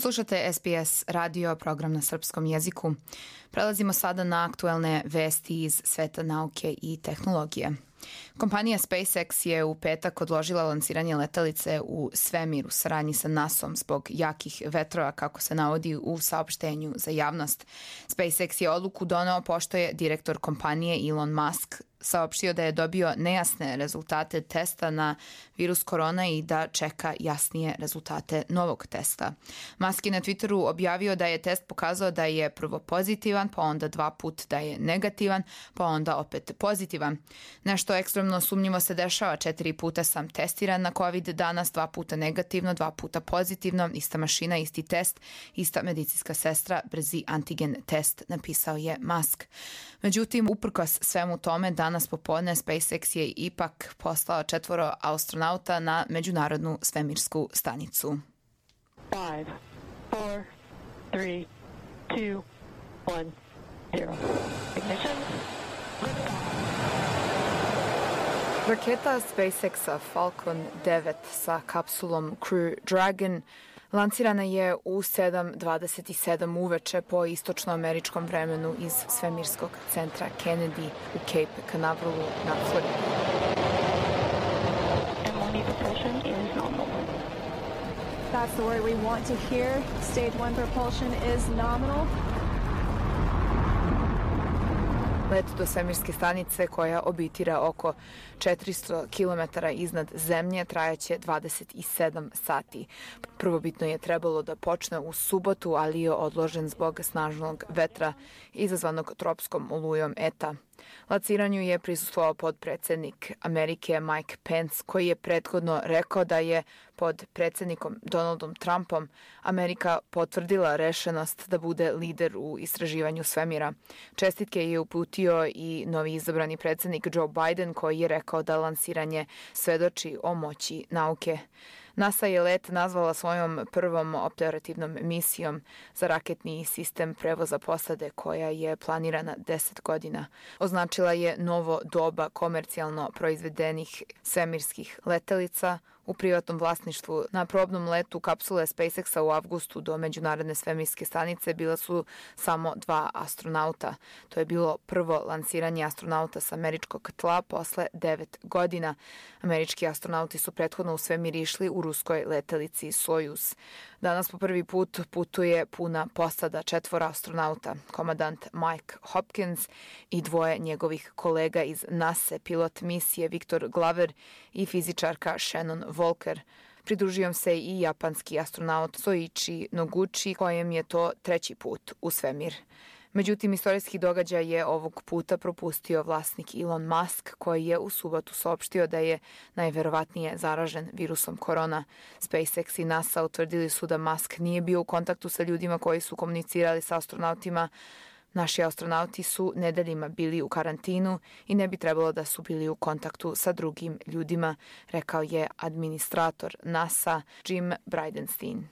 Slušate SBS radio, program na srpskom jeziku. Prelazimo sada na aktuelne vesti iz sveta nauke i tehnologije. Kompanija SpaceX je u petak odložila lansiranje letelice u svemir u saradnji sa NASA-om zbog jakih vetrova, kako se navodi u saopštenju za javnost. SpaceX je odluku doneo pošto je direktor kompanije Elon Musk saopštio da je dobio nejasne rezultate testa na virus korona i da čeka jasnije rezultate novog testa. Musk je na Twitteru objavio da je test pokazao da je prvo pozitivan, pa onda 2 puta da je negativan, pa onda opet pozitivan. Nešto ekstremno sumnjivo se dešava, 4 puta sam testiran na COVID, danas 2 puta negativno, 2 puta pozitivno, ista mašina, isti test, ista medicinska sestra, brzi antigen test, napisao je Musk. Međutim, uprkos svemu tome, danas popodne SpaceX je ipak poslao 4 astronauta na međunarodnu svemirsku stanicu. 5, 4, 3, 2, 1, 0. Ignition. Raketa SpaceX-a Falcon 9 sa kapsulom Crew Dragon lansirana je u 7:27 uveče po istočnoameričkom vremenu iz svemirskog centra Kennedy u Cape Canaverolu na Floridi. That's the word we want to hear. Stage 1 propulsion is nominal. Let do svemirske stanice, koja obitira oko 400 km iznad zemlje, trajaće 27 sati. Prvobitno je trebalo da počne u subotu, ali je odložen zbog snažnog vetra izazvanog tropskom olujom Eta. Lanciranju je prisustvovao podpredsednik Amerike Mike Pence, koji je prethodno rekao da je pod predsednikom Donaldom Trumpom Amerika potvrdila rešenost da bude lider u istraživanju svemira. Čestitke je uputio i novi izabrani predsednik Joe Biden, koji je rekao da lansiranje svedoči o moći nauke. NASA je let nazvala svojom prvom operativnom misijom za raketni sistem prevoza posade, koja je planirana 10 godina. Označila je novo doba komercijalno proizvedenih svemirskih letelica u privatnom vlasništvu. Na probnom letu kapsule SpaceX-a u avgustu do međunarodne svemirske stanice bila su samo 2 astronauta. To je bilo prvo lansiranje astronauta sa američkog tla posle 9 godina. Američki astronauti su prethodno u svemir išli u ruskoj letelici Sojuz. Danas po prvi put putuje puna posada 4 astronauta, komandant Mike Hopkins i 2 njegovih kolega iz NASA, pilot misije Victor Glover i fizičarka Shannon Volker. Pridružio se i japanski astronaut Soichi Noguchi, kojem je to 3. put u svemir. Međutim, istorijski događaj je ovog puta propustio vlasnik Elon Musk, koji je u subotu saopštio da je najverovatnije zaražen virusom korona. SpaceX i NASA utvrdili su da Musk nije bio u kontaktu sa ljudima koji su komunicirali sa astronautima. Naši astronauti su nedeljima bili u karantinu i ne bi trebalo da su bili u kontaktu sa drugim ljudima, rekao je administrator NASA Jim Bridenstine.